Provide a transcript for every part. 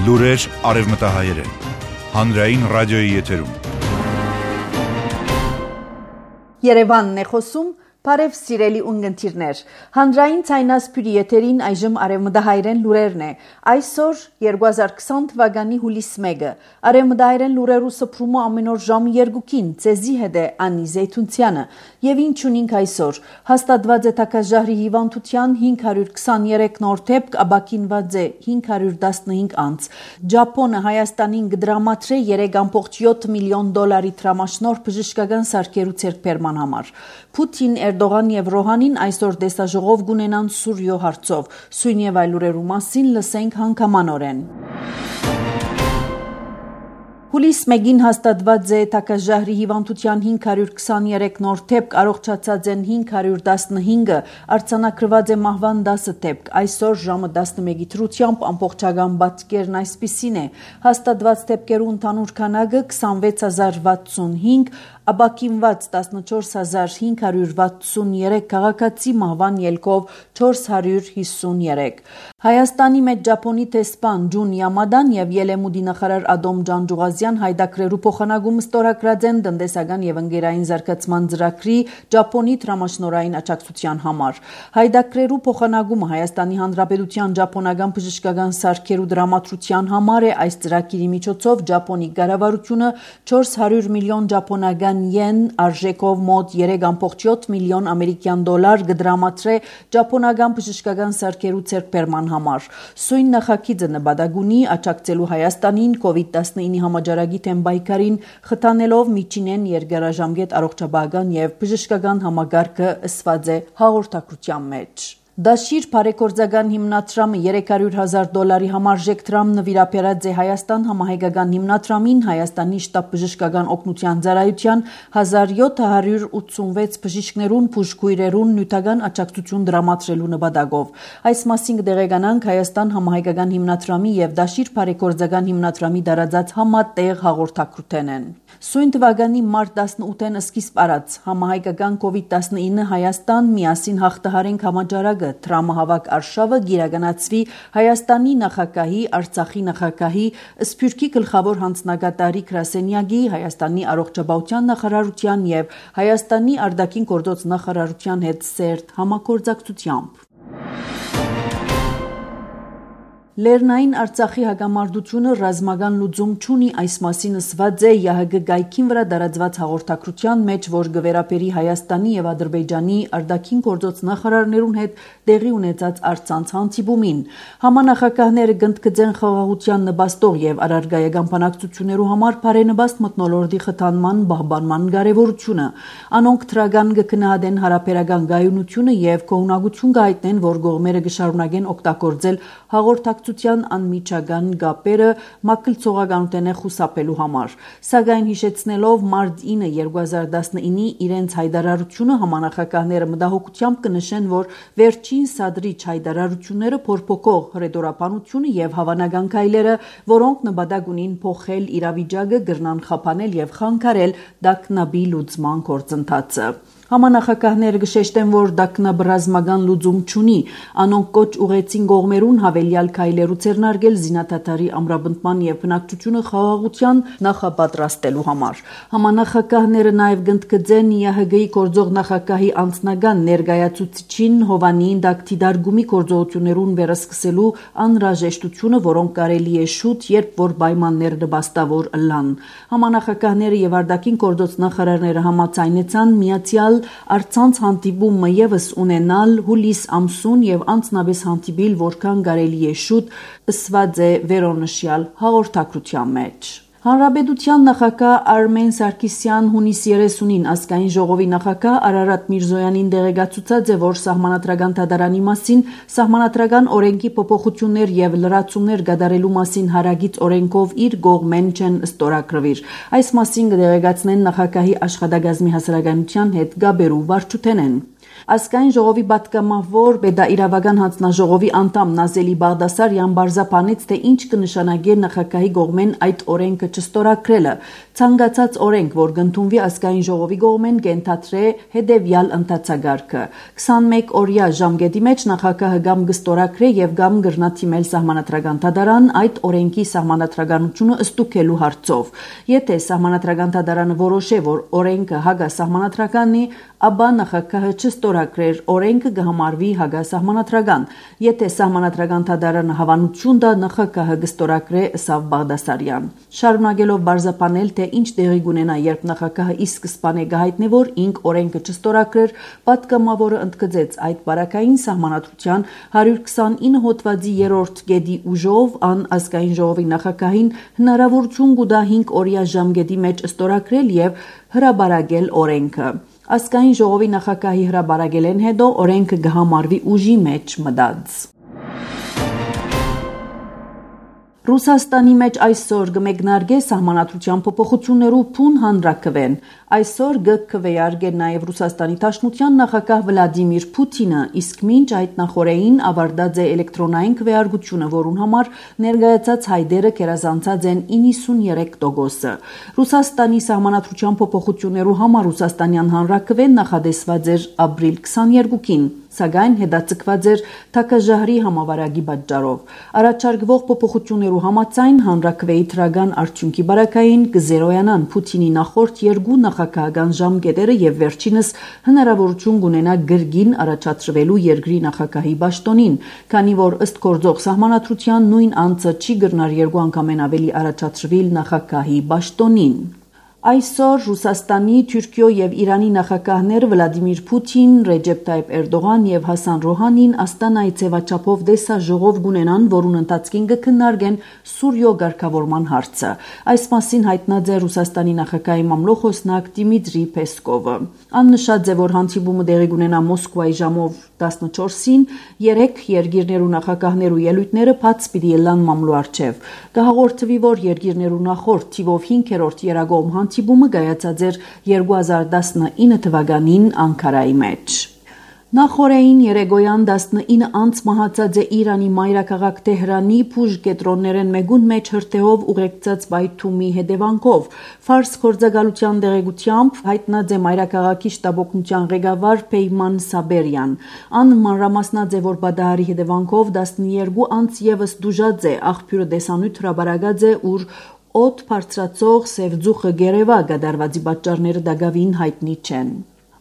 Լուրեր արևմտահայերեն։ Հանրային ռադիոյի եթերում։ Երևանն է խոսում, բարև սիրելի ունգընտիրներ։ Հանրային ցայնասպյուրի եթերին այժմ արևմտահայերեն լուրերն է։ Այսօր 2020 թվականի հուլիս 1-ը։ Արևմտահայերեն լուրերու սփռումը ամեն օր ժամը 2-ին ցեզի հետ է Անի Զեյթունցյանը։ Եվ ինչ ունենք այսօր։ Հաստատված է թակազհարի հիվանդության 523 նոր դեպք, ապաքինված է 515 անց։ Ճապոնը Հայաստանին կդրամատրե 3.7 միլիոն դոլարի տրամաշնորհ բժշկական սարքերու ցերկբերման համար։ Պուտին, Էրդողան եւ Ռոհանին այսօր տեսաժողով կունենան Սուրիո հարցով։ Սույն եւ այլ լուրերու մասին լսենք հանգամանորեն։ Հուլիս 1-ին հաստատված է թակազհարի հիվանդության 523 նոր դեպք, առողջացած են 515-ը, արձանագրված է մահվան 10 դեպք։ Այսօր ժամը 11-ի դրությամբ ամբողջական բացկերն այսպիսին է։ Հաստատված դեպքերու ընդհանուր քանակը 26065, ապաքինված 14563 քաղաքացի, մահվան ելքով 453։ Հայաստանի մեջ Ճապոնի տեսփան Ջուն Յամադան եւ Ելեմուդի նախարար Ադոմ Ջանջուղազյան հայդակրերու փոխանակում ստորագրած են տնտեսական եւ ընկերային զարգացման ծրագրի Ճապոնի տրամաշնորհային աջակցության համար։ Հայդակրերու փոխանակումը Հայաստանի Հանրապետության ճապոնական բժշկական սարքերու դրամատրության համար է։ Այս ծրագիրի միջոցով Ճապոնի կառավարությունը 400 միլիոն ճապոնական յեն արժեքով մոտ 3.7 միլիոն ամերիկյան դոլար կդրամատրե ճապոնական բժշկական սարքերու ցերկբերման համար։ Սույն նախագիծը նպատակ ունի աջակցելու Հայաստանին COVID-19 համաճարակի թեմ պայքարին, խթանելով միջինեն երկարաժամկետ առողջապահական եւ բժշկական համագարկը ըսված է հաղորդակցության մեջ։ Դաշիր բարեգործական հիմնադրամը 300,000 դոլարի համարժեք դրամ նվիրաբերած է Հայաստան համահայկական հիմնադրամին Հայաստանի շտաբ բժշկական օգնության ծառայության 1786 բժիշկներուն բուժքույրերուն նյութական աջակցություն դրամատրելու նպատակով։ Այս մասին կտեղեկանանք Հայաստան համահայկական հիմնադրամի եւ Դաշիր բարեգործական հիմնադրամի դարաձած համատեղ հաղորդակցութենեն։ Սույն թվականի մարտ 18-ին սկիզբ առած համահայկական COVID-19 Հայաստան միասին հաղթահարենք համաճարակը տրամահավաք արշավը գիրականացվի Հայաստանի նախագահի, Արցախի նախագահի, Սփյուռքի գլխավոր հանձնագետարի Գրասենյակի, Հայաստանի առողջապահության նախարարության եւ Հայաստանի արտաքին գործոց նախարարության հետ սերտ համագործակցությամբ։ Լեռնային Արցախի հակամարտությունը ռազմական լուծում չունի, այս մասին ասված է ՀՀԳ գայքին վրա դարածված հաղորդակցության մեջ, որ գվերապերի Հայաստանի եւ Ադրբեջանի արտաքին գործոց նախարարներուն հետ տեղի ունեցած առցանց հանդիպումին։ Համանախագահները գնդկծեն խաղաղության նպաստող եւ առարգայական բանակցություններու համար բարենպաստ մթնոլորտի խթանման պահպանման կարեւորությունը։ Անոնք թրագան կգնահատեն հարաբերական գայունությունը եւ կողմնակություն կհայտնեն, որ կողմերը կշարունակեն օգտագործել հաղորդակցության անմիջական կապերը մակլցողականութենե խուսափելու համար։ Սակայն հիշեցնելով մարտ 9 2019-ի իրենց հայտարարությունը համանախագահները մտահոգությամբ կնշեն, որ վերջին սադրիչ հայտարարությունները փորփոքող հռետորաբանությունը եւ հավանական քայլերը, որոնք նպատակ ունին փոխել իրավիճակը, կրնան խափանել եւ խանգարել դակնաբի լուծման գործընթացը։ Համանախագահները կշեշտեն, որ դակնաբը ռազմական լուծում չունի, անոնք կոչ ուղեցին կողմերուն հավելյալ քայլերու ձեռնարկել զինադատարի ամրապնդման եւ բնակչությունը խաղաղության նախապատրաստելու համար։ Համանախագահները նաեւ գնդկծեն ՀՀԳ-ի գործող նախագահի անձնական ներկայացուցիչին Հովանիին դակտիդարգումի գործողություններուն վերսկսելու անհրաժեշտությունը, որոնք կարելի է շուտ, երբ որ պայմաններ նպաստավոր ըլլան։ Համանախագահները եւ արտաքին գործոց նախարարները համաձայնեցան միացյալ առցանց հանդիպումը եւս ունենալ հուլիս ամսուն եւ անձնապես հանդիպիլ որքան կարելի է շուտ, ըսված է վերոնշյալ հաղորդակցության մեջ։ Հանրապետության նախագահ Արմեն Սարգսյան հունիս 30-ին ազգային ժողովի նախագահ Արարատ Միրզոյանին տեղեկացուցած է, որ սահմանադրական դատարանի մասին սահմանադրական օրենքի փոփոխություններ եւ լրացումներ կատարելու մասին հարագից օրենքով իր կողմեն չեն ստորագրվիր։ Այս մասին կտեղեկացնեն նախագահի աշխատակազմի հասարակայնության հետ գաբերու վարչութենեն։ Ազգային ժողովի պատգամավոր Պետաիրավական հանձնաժողովի անդամ Նազելի Բաղդասարյան բարձրացնեց, թե ինչ կնշանակի նախագահի կողմեն այդ օրենքը չստորագրելը։ Ցանկացած օրենք, որ կընդունվի ազգային ժողովի կողմեն, կենթադրե հետևյալ ընթացագարկը. 21 օրյա ժամկետի մեջ նախագահը կամ կստորագրե եւ կամ կրնա թիմել սահմանադրական դատարան այդ օրենքի սահմանադրականությունը ըստուքելու հարցով։ Եթե սահմանադրական դատարանը որոշե, որ օրենքը հակասահմանադրական է, ապա նախագահը չստորագրեր օրենքը կհամարվի հակասահմանադրական։ Եթե սահմանադրական դատարանը հավանություն տա, նախագահը կստորագրե, ըսավ Բաղդասարյան։ Շարունակելով բարձրացնել, թե ինչ տեղի կունենա, երբ նախագահը ի սկզբանե կհայտնի, որ ինք օրենքը չստորագրեր, պատգամավորը ընդգծեց այդ բարակային սահմանադրության 129 հոդվածի 3-րդ կետի ուժով ան ազգային ժողովի նախագահին հնարավորություն կտա 5 օրյա ժամկետի մեջ ստորագրել եւ հրաբարակել օրենքը։ Ազգային ժողովի նախագահի հրաբարակելեն հետո օրենքը կհամարվի ուժի մեջ մտած։ Ռուսաստանի մեջ այսօր կմեկնարկե սահմանադրության փոփոխություններու փուն հանրաքվեն։ Այսօր կքվեարկե նաև Ռուսաստանի Դաշնության նախագահ Վլադիմիր Պուտինը, իսկ մինչ այդ նախորդին ավարտած է էլեկտրոնային քվեարկությունը, որուն համար ներկայացած հայտերը գերազանցած են 93%-ը։ Ռուսաստանի սահմանադրության փոփոխություններու համար Ռուսաստանյան հանրաքվեն նախադեсված էր ապրիլ 22-ին, սակայն հետաձգված էր թակաժահրի համավարակի պատճառով։ Առաջարկվող փոփոխություններու համաձայն հանրաքվեի թրական արդյունքի բարակային կզերոյանան Պուտինի նախորդ երկու նախագահական ժամկետերը եւ վերջինս հնարավորություն կունենա գրգին առաջադրվելու երկրի նախագահի պաշտոնին, քանի որ ըստ գործող սահմանադրության նույն անձը չի գտնար երկու անգամ ավելի առաջադրվել նախագահի պաշտոնին։ Այսօր Ռուսաստանի, Թուրքիո եւ Իրանի նախագահները Վլադիմիր Պուտին, Ռեջեփ Թայիփ Էրդողան եւ Հասան Ռոհանին Աստանայի ցեվաչափով դեսաժողով կունենան, որուն ընթացքին կքննարկեն Սուրիո ղեկավարման հարցը։ Այս մասին հայտնած է Ռուսաստանի նախագահի մամլոխոսնակ Դիմիտրի Պեսկովը։ Աննշած է, որ հանդիպումը տեղի կունենա Մոսկվայի ժամով 14-ին, 3 երկիրներու նախագահներու ելույթները բաց պիտի ելան մամլու առջև։ Կհաղորդվի, որ երկիրներու նախորդ թիվով 5-րդ երագոմ հանդիպումը կայացած էր 2019 թվականին Անկարայի մեջ։ Նախորդին երեգոյան 19 անց մահացած է Իրանի մայրաքաղաք Թեհրանի Փուժ կետրոններեն մեկուն մեջ հրթեհով ուղեկցած բայթումի հետևանքով։ Ֆարս գործակալության տեղեկությամբ հայտնած է մայրաքաղաքի շտաբօգնության ղեկավար Պեյման Սաբերյան։ Ան մանրամասնած է, որ բադահարի հետևանքով 12 անց եւս դուժած է, աղբյուրը դեսանյութ հրաբարակած է, ուր օդ բարձրացող Սևձուխը գերեվա գդարվածի պատճառները դակավին հայտնի չեն։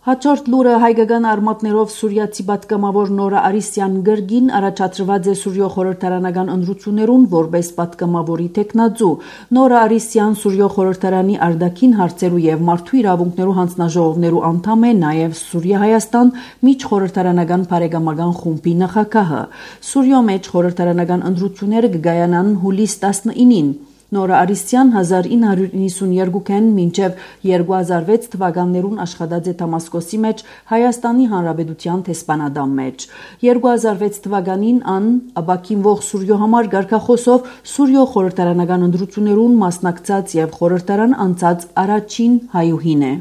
Հաջորդ լուրը հայկական արմատներով սուրիացի պատգամավոր Նորա Արիսյան գրգին առաջադրված է Սուրիո խորհրդարանական ընտրություններուն որպես պատգամավորի տեխնաձու։ Նորա Արիսյան Սուրիո խորհրդարանի արտաքին հարցերու եւ մարդու իրավունքներու հանձնաժողովներու անդամ է, նաեւ Սուրիա-Հայաստան միջխորհրդարանական բարեկամական խումբի նախագահը։ Սուրիո մեջ խորհրդարանական ընտրությունները կգայանան հուլիս 19-ին։ Նորա Արիսյան 1992-ին մինչև 2006 թվականներուն աշխատած է Դամասկոսի մեջ Հայաստանի Հանրապետության տեսփանադամ մեջ։ 2006 թվականին ան ապակինվող Սուրիո համար գարկախոսով Սուրիո խորհրդարանական ընտրություններուն մասնակցած եւ խորհրդարան անցած առաջին հայուհին է։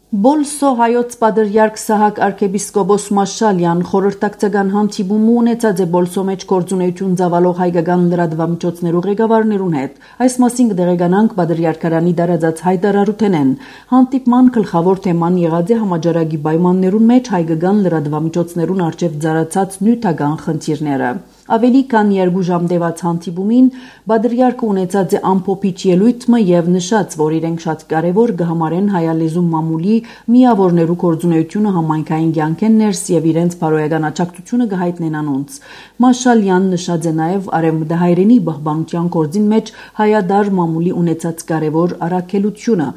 Բոլսո հայոց պատրիարք Սահակ arczepiskopos Մաշալյան խորհրդակցական հանդիպում ունեցած է Բոլսո մեջ գործունեություն ծավալող հայկական լրատվամիջոցներու ղեկավարներուն հետ։ Այս մասին կդեղեկանանք պատրիարքարանի դարածած հայտարարութենեն։ Հանդիպման գլխավոր թեման եղած է համաճարակի պայմաններուն մեջ հայկական լրատվամիջոցներուն արժեվ ծառացած նյութական խնդիրները։ Ավելի քան 2 ժամ տևած հանդիպումին պատրիարքը ունեցած է ամփոփիչ ելույթը եւ նշած, որ իրենք շատ կարեւոր կհամարեն հայալեզու մամուլի միավորներու գործունեությունը համայնքային կյանքեն ներս եւ իրենց բարոյական աջակցությունը կհայտնեն անոնց։ Մաշալյան նշած է նաեւ արևմտահայերենի պահպանության գործին մեջ հայադար մամուլի ունեցած կարեւոր առաքելությունը։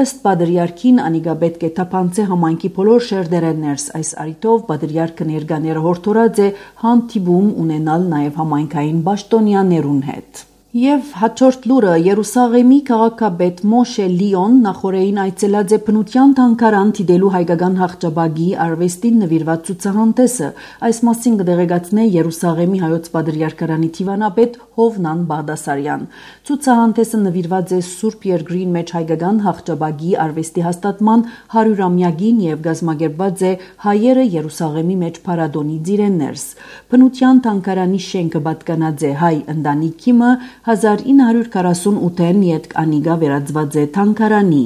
Ըստ պատրիարքին անիկա պետք է թափանցե համայնքի բոլոր շերտերեն ներս։ Այս առիթով պատրիարքը ներկաները հորդորած է հանդիպում ունենալ նաև համայնքային պաշտոնյաներուն հետ։ Եվ հաջորդ լուրը Երուսաղեմի քաղաքապետ Մոշե Լիոն նախորդին այցելած է բնության թանգարան դիտելու հայկական հաղճաբագի արվեստին նվիրված ցուցահանդեսը, այս մասին կդեղեկացնե Երուսաղեմի հայոց պատրիարքարանի դիվանապետ Հովնան Բաղդասարյան։ Ցուցահանդեսը նվիրված է Սուրբ Երկրին մեջ հայկական հաղճաբագի արվեստի հաստատման 100-ամյակին եւ կազմակերպված է հայերը Երուսաղեմի մեջ փառատոնի ծիրեններս։ Բնության թանգարանի շենքը պատկանած է հայ ընտանիքիմը 1948-ին յետք անիգա վերածված է թանգարանի։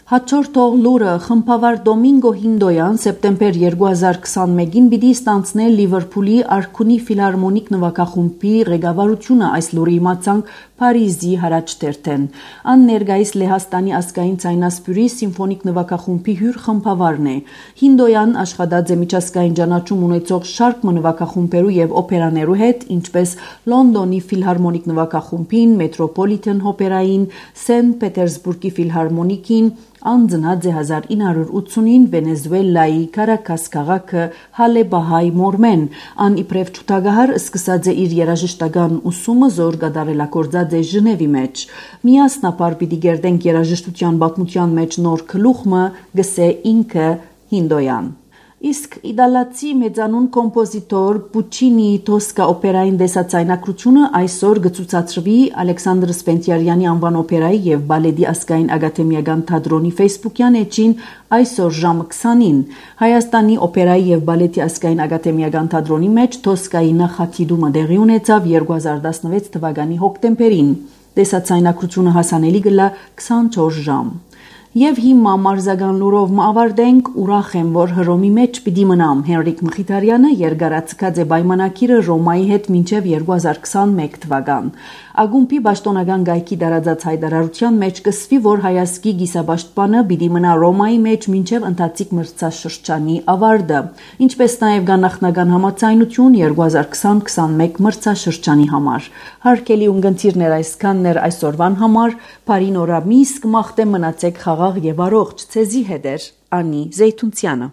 Հաջորդ լուրը խմբավար Դոմինգո Հինդոյան սեպտեմբեր 2021-ին պիտի ստանձնել Լիվերփուլի Արքունի ֆիլհարմոնիկ նվագախումբի ղեկավարությունը, այս լուրը իմացանք Փարիզի հարաճտերթեն։ Ան ներկայիս Լեհաստանի ազգային ցայնասպյուրի սիմֆոնիկ նվագախումբի հյուր խմբավարն է։ Հինդոյան աշխատած է միջազգային ճանաչում ունեցող շարք նվագախումբերու եւ օպերաներու հետ, ինչպես Լոնդոնի ֆիլհարմոնիկ նվագախումբին, Մետրոպոլիթեն օպերային, Սենտ Պետերսբուրգի ֆիլհարմոնիկին, անձնած է 1980-ին Վենեսուելայի Կարակաս քաղաքը Հալեբահայ Մորմեն, ան իբրև ճուտագահար սկսած է իր երաժշտական ուսումը զոր կատարելագործած է Ժնևի մեջ։ Միասնապար պիտի գերդենք երաժշտության պատմության մեջ նոր գլուխը, գսե ինքը Հինդոյան։ Իսկ իդալացի մեծանուն կոմպոզիտոր Պուչինիի Տոսկա օպերային դեսացայնակրությունը այսօր կցուցադրվի Ալեքսանդր Սպենտիարյանի անվան օպերայի եւ բալետի ազգային ակադեմիական թատրոնի Facebook-յան էջին այսօր ժամը 20-ին։ Հայաստանի օպերայի եւ բալետի ազգային ակադեմիական թատրոնի մեջ Տոսկայի նախատիդումը տեղի ունեցավ 2016 թվականի հոկտեմբերին։ Դեսացայնակրությունը հասանելի կլա 24 ժամ։ Եվ հիմա մարզական լուրով ավարտենք, ուրախ եմ, որ Հռոմի մեջ պիտի մնամ։ Հենրիկ Մխիթարյանը երկարացկած է պայմանագիրը Ռոմայի հետ մինչև 2021 թվական։ Ագումբի պաշտոնական գայքի տարածած հայտարարության մեջ կսվի, որ հայազգի գիսապաշտպանը պիտի մնա Ռոմայի մեջ մինչև ընթացիկ մրցաշրջանի ավարտը, ինչպես նաև կա նախնական համաձայնություն 2020-21 մրցաշրջանի համար։ Հարգելի ունկնդիրներ, այսքանն էր այսօրվան համար, բարի նորամիս կմաղթեմ մնացեք խաղաղ եւ առողջ, ցեզի հետ էր Անի Զեյթունցյանը։